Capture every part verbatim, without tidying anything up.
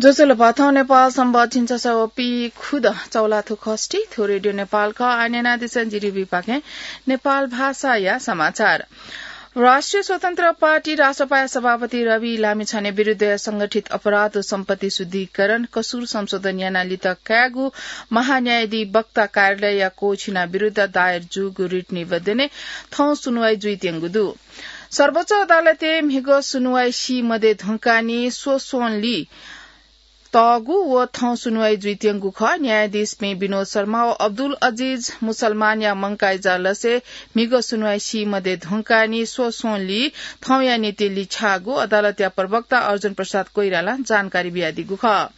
ज्वजलपा, थौं नेपाल संवत् झिंछसः व पीखुदँ चौलाथ्व खष्ठी, थ्व रेडियो नेपाल खः। आः न्यनादिसँ जिरि बिपाखें नेपाल भाषाया समाचार। राष्ट्रिय स्वतन्त्र पार्टी रासपाया सभापति रवि लामिछाने विरुद्धया संगठित अपराध व सम्पत्ति शुद्धिकरण कसुर संशोधन यानाः लित कायेगु महान्यायाधिवक्ता कार्यालयया कोछिना विरुद्ध दायर जूगु रिट निवेदनय् थौं सुनुवाइ जुइत्यंगु दु। सर्वोच्च अदालतय् म्हिगः सुनुवाइ सी मध्ये धुंकाः नि स्वस्वंलि तःगु व थौं सुनुवाइ जुइत्यंगु खः। न्यायाधीशपिं विनोद शर्मा व अब्दुल अजिज मुसलमानया मंकाइ जालसय् म्हिगः सुनुवाइ सी मध्ये धुंकाः नि स्वस्वंलि थौंया निंतिं लिछ्याःगु अदालतया प्रवक्ता अर्जुन प्रसाद कोइरालां जानकारी बियादीगु खः।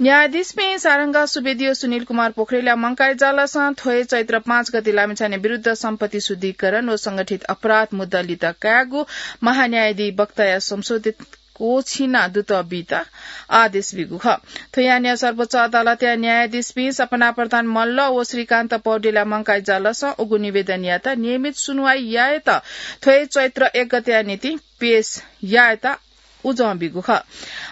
न्यायाधीशपिं सारंगा सुवेदी व सुनिल कुमार पोखरेलया मंकाइ जालसं थ्व हे चैत्र पाँच गते लामिछाने विरुद्ध सम्पत्ति शुद्धिकरण व संगठित अपराध मुद्दा लित कायेगु महान्यायाधिवक्ताया संशोधित कोछिना दुत बीत आदेश बीगु खः। थ्व यानाः सर्वोच्च अदालतया न्यायाधीशपिं सपना प्रधान मल्ल व श्रीकान्त पौडेलया मंकाइ जालसं उगु निवेदनयात नियमित सुनुवाइ यायेत थ्व हे चैत्र एक गतेया निंतिं पेश यायेत उजं बीगु खः।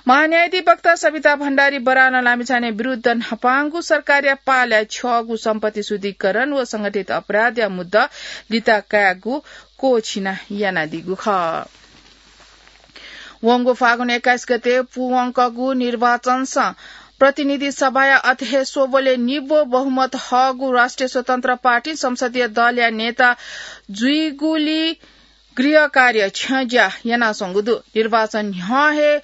महान्यायाधिवक्ता सविता भण्डारी बरानं लामिछाने विरुद्ध न्हापांगु सरकारया पालय् छ्यःगु सम्पत्ति शुद्धिकरण व संगठित अपराधया मुद्दा लित कायेगु कोछिना यानादीगु खः। वंगु फागुन एक्काइस गते पूवंकःगु निर्वाचनसं प्रतिनिधि सभाया अथे हे स्वबलय् निब्व बहुमत हःगु राष्ट्रिय स्वतन्त्र पार्टी संसदीय दलया नेता जुइगुली गृह कार्य छ्यंज्या यानाच्वंगु दु। निर्वाचन न्ह्यः हे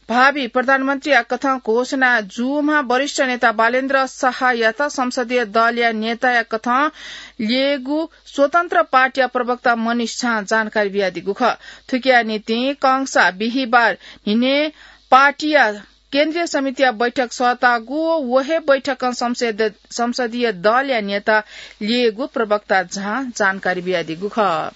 भावी प्रधानमन्त्रीया कथं घोषणा जूम्ह वरिष्ठ नेता बालेन्द्र शाहयात संसदीय दलया नेताया कथं ल्ययेगु स्वतन्त्र पार्टीया प्रवक्ता मनिष झां जानकारी बियादीगु खः। थुकिया निंतिं कंसा बिहिबार न्हिनय् पार्टीया केन्द्रीय समितिया बैठक सःतागु व व हे बैठकं संसद-, संसदीय दलया नेता ल्ययेगु प्रवक्ता झां जानकारी बियादीगु खः।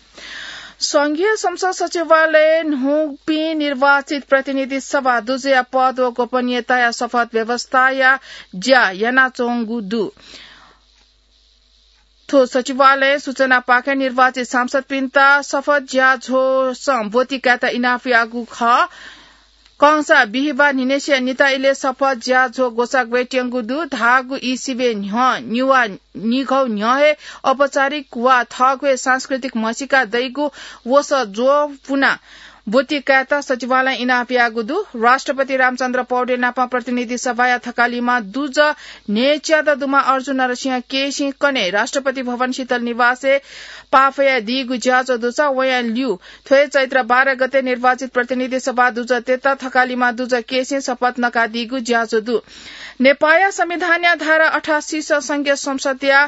संघीय संसद सचिवालयय् न्हूपिं निर्वाचित प्रतिनिधि सभा दुजया पद व गोपनीयताया शपथ व्यवस्थाया ज्या यानाच्वंगु दु। थ्व सचिवालयं सूचनापाखें निर्वाचित सांसदपिन्त शपथ ज्याझ्वःसं ब्वति कायेत इनाप याःगु खः। कंसा बिहिबार न्हिनय्सिया निता इलय् शपथ ज्याझ्वः ग्वसाः ग्वयेत्यंगु दु। धाःगु ई सिबें न्ह्यः निवा निघौ न्ह्यः हे औपचारिक वा थःगु हे सांस्कृतिक म्हसीका दइगु वसः ज्वपुना ब्वति कायेत सचिवालयं इनाप याःगु दु। राष्ट्रपति रामचन्द्र पौडेल नाप प्रतिनिधि सभाया थकालिमा दुजः न्हय्च्यादँ दुम्ह अर्जुन नरसिंह केसीं कन्हय् राष्ट्रपति भवन शीतल निवासय् पाफयादीगु ज्याझ्वः दुसा वयां ल्यू थ्व हे चैत्र बाह्र गते निर्वाचित प्रतिनिधि सभा दुजःतय्त थकालिमा दुजः केसीं शपथ नकादीगु ज्याझ्वः दु। नेपाःया संविधानया धारा अठासीसं संघीय संसदया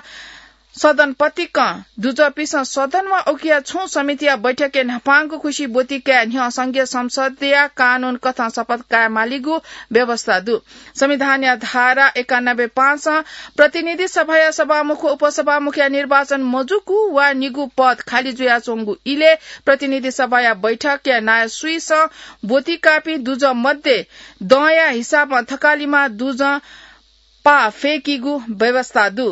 सदन पतिकं दुजःपिसं सदन वा उकिया छुं समितिया बैठकय् न्हापांगु खुसि ब्वति काये न्ह्यः संघीय संसदया कानून कथं शपथ काये मालीगु व्यवस्था दु। संविधानया धारा एकानब्बे पाँचं प्रतिनिधि सभाया सभामुख, उपसभामुखया निर्वाचन मजूगु वा निगू पद खाली जुयाच्वंगु इलय् प्रतिनिधि सभाया बैठकया नायः सुइसं ब्वति काःपिं दुजः मध्ये दँया हिसाबं थकालिमा दुजं पाः फय्कीगु व्यवस्था दु।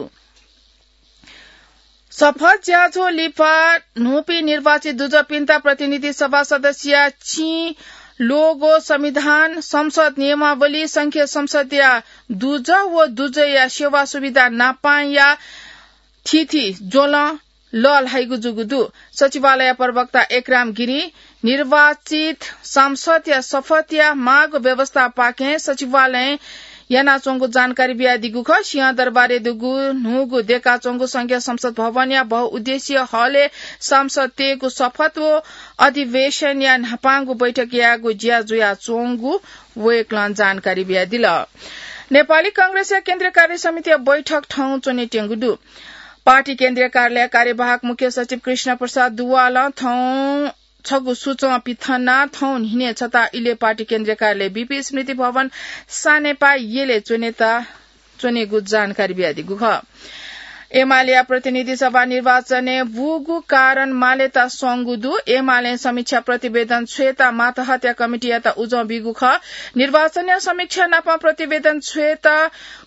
शपथ ज्याझ्वः लिपा न्हूपिं निर्वाचित दुजःपिन्त प्रतिनिधि सभा सदस्यया चिं, लोगो, संविधान, संसद नियमावली, संघीय संसदया दुजः व दुजःया सेवा सुविधा नापंया थीथी ज्वलं लःल्हाइगु जूगु दु। सचिवालय प्रवक्ता एकराम गिरिं निर्वाचित सांसदया शपथया माःगु व्यवस्थापाखें सचिवालयं यानाच्वंगु जानकारी बियादीगु खः। सिंहदरबारय् दुगु न्हूगु दय्काच्वंगु संघीय संसद भवनया बहुउद्देश्यीय हलय् सांसदतय्गु शपथ व अधिवेशनया न्हापांगु बैठक यायेगु ज्या जुयाच्वंगु वय्कलं जानकारी बियादिल। नेपाली कांग्रेसया केन्द्रीय कार्य समितिया बैठक थौं च्वनेत्यंगु दु। पार्टी केन्द्रीय कार्यालय कार्यवाहक मुख्य सचिव कृष्ण प्रसाद दुवालं थौं छगू सूचं पिथनाः थौं न्हिनय् छता इलय् पार्टी केन्द्रीय कार्यालय बीपी स्मृति भवन सानेपा यलय् च्वनेत च्वनेगु जानकारी बियादीगु खः। एमालेया प्रतिनिधि सभा निर्वाचनय् बूगु कारण मालेत स्वंगु दु। एमालें समीक्षा प्रतिवेदन छ्वयेत मातहतया कमिटीयात उजं बीगु खः। निर्वाचनया समीक्षा नाप प्रतिवेदन छ्वयेत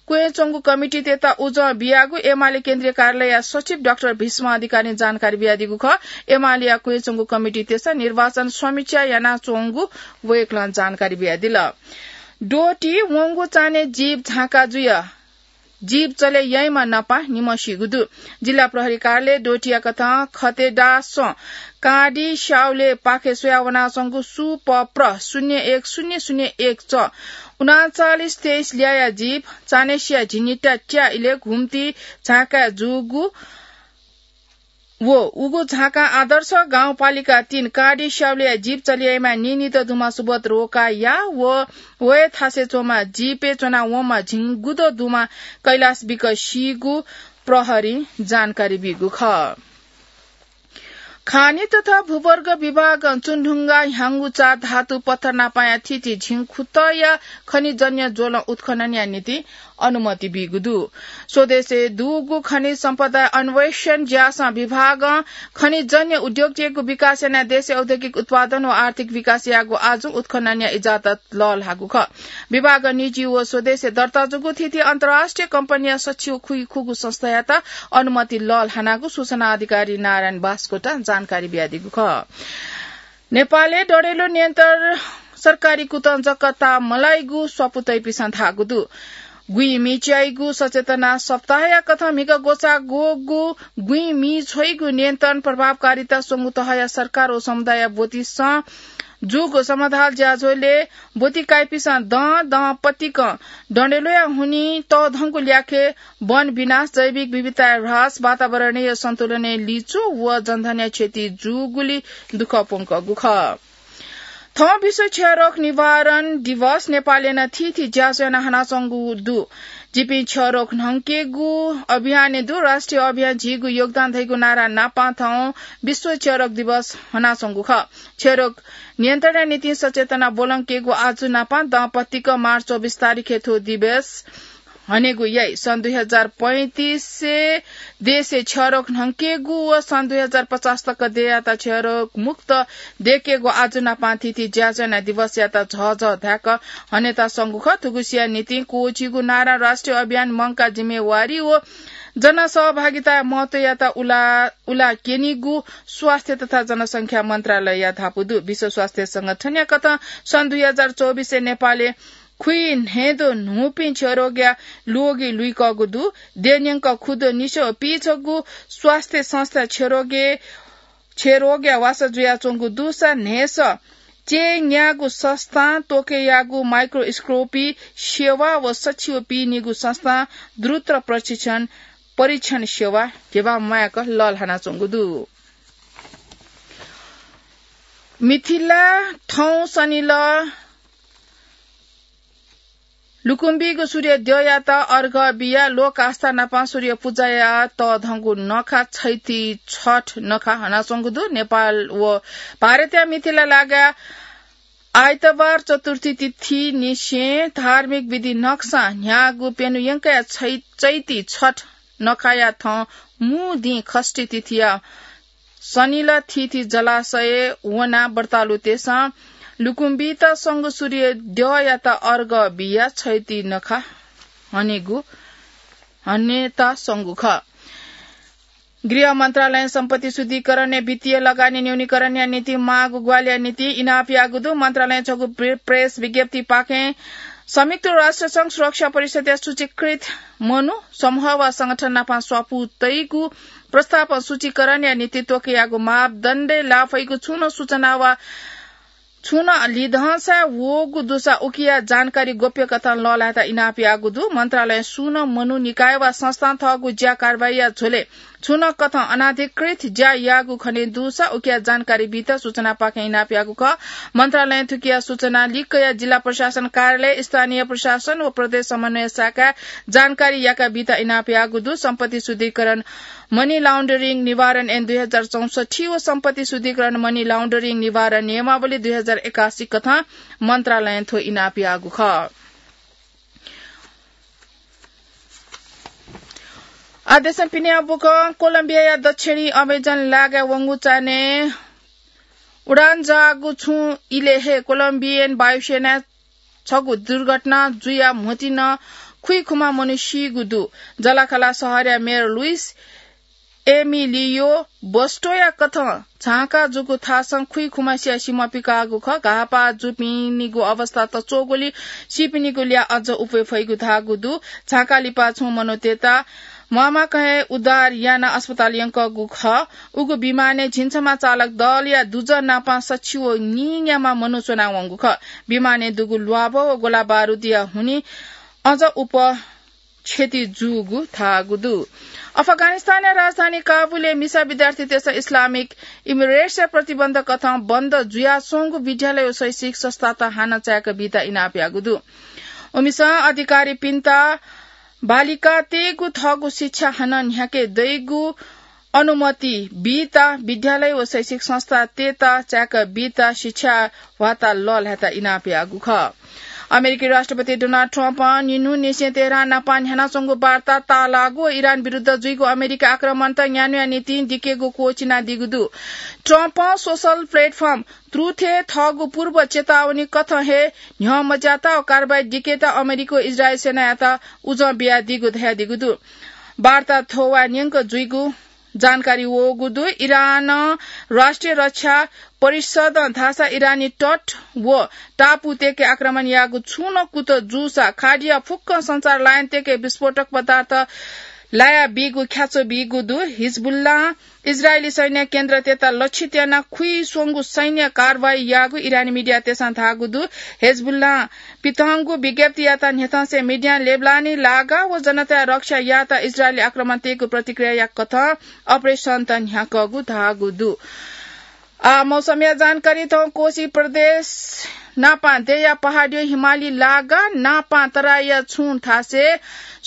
क्वय्च्वंगु कमिटीतय्त उजं बियागु एमाले केन्द्रीय कार्यालयया सचिव डाक्टर भीष्म अधिकारीं जानकारी बियादीगु खः। एमालेया क्वय्च्वंगु कमिटीतय्सं निर्वाचन समीक्षा यानाच्वंगु वय्कलं जानकारी बियादिल। द्वःति वंगु चान्हय् जीप झाँका जुया जीप चले याइमा नापा निम्हसिगु दु। जिल्ला प्रहरी कार्यालय द्वःतिया कथं खतेदासं काँडि स्याउले पाखे स्वया वनाच्वंगु सु प प्र शून्य एक शून्य शून्य एक च उनाचालिस तेइस ल्याया जीप चान्हय्‌सिया झिंनिता त्या इले घुम्ति झाँका जूगु व उगु झाँका आदर्श गाउँपालिका तीन काँडि स्याउले जीप चले याइमा नीनित दुमा सुबोध रोका या व वये थासे च्वमा जीपे च्वना वंमा झिंगुद दुमा कैलाश बिक सीगु प्रहरी जानकारी बीगु खः। खानी तथा भूवर्ग विभागं चुनढुङ्गा ह्याङ्गु चा धातु पत्थर नापाया थिति झिंखुतया खनिजन्य ज्वलं उत्खननया निंतिं अनुमति बीगु दु। स्वदेशय् दुगु खनिज सम्पदा अन्वेषण ज्यासं विभागं खनिजन्य उद्योगय्‌गु विकास यानाः देशय् औद्योगिक उत्पादन व आर्थिक विकास यायेगु आजु उत्खननया इजाजत लःल्हाःगु खः। विभागं निजी व स्वदेशय् दर्ता जूगु थीथी अन्तर्राष्ट्रिय कम्पनीया सच्छि व खुइखुगू संस्थायात अनुमति लःल्हानागु सूचना अधिकारी नारायण बास्कोटां जानकारी बियादीगु खः। नेपालय् डढेलो न्यन्तर सरकारी कुतं जक ताः मलाइगु स्वापू तइपिसं धाःगु दु। गुइमिच्याइगु सचेतना सप्ताहया कथं म्हिगः ग्वसाः ग्वःगु गुइमिछ्वइगु नियन्त्रण प्रभावकारिता स्वंगू तहया सरकार व समुदाय ब्वतिसं जूगु समाधाल ज्याझ्वलय् ब्वति काइपिसं दँ दँ पतिकं डढेलोया हुनिं तःधंगु ल्याखय् वन विनाश, जैविक विविधताया ह्रास, वातावरणीय सन्तुलनय् लिचु व जनधनया क्षति जूगुलिं दुःख प्वंकःगु खः। थौं विश्व क्षयरोग निवारण दिवस नेपालय् नं थीथी ज्याझ्वः याना हनाच्वंगु दु। जिपिं क्षयरोग न्हंकेगु अभियानय् दु। राष्ट्रिय अभियान झीगु योगदान धइगु नारा नापं थौं विश्व क्षयरोग दिवस हनाच्वंगु खः। क्षयरोग नियन्त्रणया निंतिं सचेतना ब्वलंकेगु आजु नापं दँ पतिक मार्च चौबिस तारिखय् थ्व दिवस हनेगु याइ। सन् दुई हजार पैंतिसय् देशय् क्षयरोग न्हंकेगु व सन् दुई हजार पचास तक देय्‌यात क्षयरोग मुक्त दय्‌केगु आजु नापं थीथी ज्याझ्वः याना दिवसयात झःझः धाय्‌क हनेत स्वंगु खः। थुगुसिया निंतिं क्वःछिगु नारा राष्ट्रिय अभियान मंकाः जिम्मेवारी व जनसहभागिताया महत्वयात उला, उला क्यनीगु स्वास्थ्य तथा जनसंख्या मन्त्रालयया धापू दु। विश्व स्वास्थ्य संगठनया कथं सन् दुई हजार चौबिसय् नेपालय् खुइन्हय्‌द्वः न्हूपिं क्षयरोगया ल्वगि लुइकःगु दु। देय्‌न्यंक खुद्वः निस्वः पिछगू स्वास्थ्य संस्था क्षयरोगय्, क्षयरोगया वासः जुयाच्वंगु दुसा न्हय्‌सः चय् न्याःगु संस्थां त्वःके याःगु माइक्रोस्कोपी सेवा व सच्छि व पीनिगू संस्थां द्रुत प्रशिक्षण, परीक्षण सेवा ध्यबा म्वाय्‌क लःल्हानाच्वंगु दु। मिथिला थौं सनिलः लुकुम्बीगु सूर्य द्यःयात अर्घ बियाः लोक आस्था नापं सूर्य पुजाया तःधंगु नखा छैती छठ नखा हनाच्वंगु दु। नेपाल व भारतया मिथिला लागाय् आइतबार चतुर्थी तिथि निसें धार्मिक विधि नखःसां न्ह्याःगु प्यन्हु यंकया छै-, चैती छठ नखाया थौं मू दिं खष्ठी तिथिया सनिलः थीथी जलाशयय् वनाः व्रतालुतय्‌सं लुकुम्बीत संगु सूर्य द्यःयात अर्घ बियाः छैती नखा हनेगु, हनेत संगु खः। गृह मन्त्रालयं सम्पत्ति शुद्धिकरणय् वित्तीय लगानी न्यूनीकरणया निंतिं माःगु ग्वाहालिया निंतिं इनाप याःगु दु। मन्त्रालयं छगू प्रे-, प्रेस विज्ञप्तिपाखें संयुक्त राष्ट्र संघ सुरक्षा परिषदया सूचीकृत मनू, समूह वा संगठन नापं स्वापू तइगु प्रस्तावं सूचीकरणया निंतिं त्वःके याःगु मापदण्डय् लाः फइगु छुं नं सूचना वा छुं नं लिधंसा वःगु दुसा उकिया जानकारी गोप्य कथं लःल्हायेत इनाप याःगु दु। मन्त्रालयं सुं नं मनू, निकाय वा संस्थां थःगु ज्या कारवाहीया झ्वलय् छुं नं कथं अनाधिकृत ज्या याःगु खने दुसा उकिया जानकारी बीत सूचनापाखें इनाप याःगु खः। मन्त्रालयं थुकिया सूचना लिक्कया जिल्ला प्रशासन कार्यालय, स्थानीय प्रशासन व प्रदेश समन्वय शाखाय् जानकारी याका बीत इनाप याःगु दु। सम्पत्ति शुद्धिकरण मनी लाउन्डरिङ निवारण ऐन दुई हजार चौसठ्ठी व सम्पत्ति शुद्धिकरण मनी लाउन्डरिङ निवारण नियमावली दुई हजार एकासी कथं मन्त्रालयं थ्व इनाप याःगु खः। आदेशं पिने बुकं कोलम्बियाया दक्षिणी अमेजन लागाय् वंगु चान्हय् उडान जाःगु छुं इलय् हे कोलम्बियन वायुसेनाय् छगू दुर्घटना जुयाः म्होतिं खुइखुमा मनू सीगु दु। जलाखाला शहरया मेयर लुइस एमिलियो बस्टोया कथं झांका जूगु थासं खुइखुम्हसिया सिमा पिकाःगु खः। घाःपाः जूपिनिगु अवस्था तच्वःगुलिं सीपिनिगु ल्याः अझ उफे फइगु धाःगु दु। झांका लिपा छुं मनूतय्त म्वाःम्वाकं हे उद्धार यानाः अस्पताल यंकःगु खः। उगु विमानय् झिंछम्ह चालक दलया दुजः नापं सछि व नीन्याम्ह मनू च्वनावंगु खः। विमानय् दुगु ल्वाभः व गोलाबारुदया हुनिं अझ उप क्षति जूगु धाःगु दु। अफगानिस्तानया राजधानी काबुलय् मिसा विद्यार्थीतय्सं इस्लामिक इमिरेट्सया प्रतिबन्ध कथं बन्द जुयाच्वंगु विद्यालय व शैक्षिक संस्थात हानं चाय्क बीत इनाप याःगु दु। उमिसं अधिकारीपिन्त बालिकातय्गु थःगु शिक्षा हानं न्ह्याके दइगु अनुमति बीत विद्यालय व शैक्षिक संस्थातय्त चाय्क बीत शिक्षा भ्वाता लःल्हायेत इनाप याःगु खः। अमेरिकी राष्ट्रपति डोनाल्ड ट्रम्पं निन्हुनिसें तेहरान नापं न्ह्यानाच्वंगु वार्ता ताःलाःगु व इरान विरुद्ध जुइगु अमेरिकी आक्रमणत न्यान्हुया निंतिं दिकेगु क्वःछिनादीगु दु। ट्रम्पं सोशल प्लेटफर्म ट्रुथय् थःगु पूर्व चेतावनी कथं हे न्ह्यः मज्यात व कारवाही दिकेत अमेरिका व इजरायल सेनायात उजं बियादीगु धयादीगु दु। वार्ता थ्ववाः न्यंक जुइगु जानकारी वःगु दु। इरानं राष्ट्रिय रक्षा परिषदं धाःसा इरानी तट व टापुतय्के आक्रमण याःगु छुं नं कुतः जूसा खाडीया फुक्क सञ्चार लाइनतय्के विस्फोटक पदार्थ लाया बीगु ख्याच्वः बीगु दु। हिजबुल्लां इजरायली सैन्य केन्द्रतय्त लक्षित यानाः खुइस्वंगू सैन्य कारवाही याःगु इरानी मिडियातय्सं धाःगु दु। हिजबुल्लां पिथंगु विज्ञप्तियात न्ह्यथंसे मिडियां लेबनानी लागा व जनताया रक्षा यायेत इजरायली आक्रमणतय्गु प्रतिक्रियाया कथं अपरेसनत न्ह्याकःगु धाःगु दु। आ, मौसमया जानकारी थौं कोशी प्रदेश नापं देया पहाडीया हिमाली लागा नापं तराईया छुं थासय्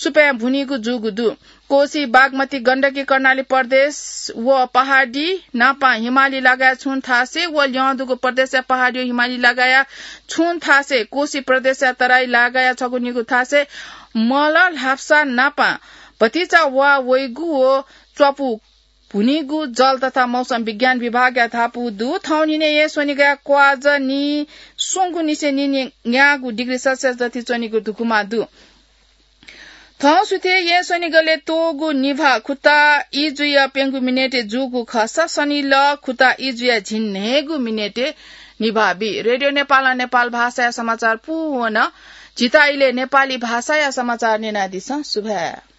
सुपाँय् भुनीगु जूगु दु। कोशी, बागमती, गण्डकी, कर्णाली प्रदेश व पहाडी नापं हिमाली लागाया छुं थासय् व ल्यं दुगु प्रदेशया पहाडीया हिमाली लागाया छुं थासय् कोशी प्रदेशया तराई लागाया छगू निगू थासय् मल ल्हापसा नापं भतिचा वा वइगु व च्वापु भुनीगु जल तथा मौसम विज्ञान विभागया धापू दु। थौंनिने येँ स्वनिगया क्वाःज नीस्वंगू निसें नीन्यागू डिग्री सेल्सियस जति च्वनीगु धुकुमा दु। थौं सुथय् येँ स्वनिगलय् त्वःगु निभाः खुता ई जुया प्यंगू मिनेटय् जूगु खःसा सनिलः खुता ई जुया झिंन्हय्गू मिनेटय् निभाः बी। रेडियो नेपालं नेपाल भाषाया समाचार पूवन। झीत इलय् नेपाली भाषाया समाचार न्यनादिसँ। सुभाय्।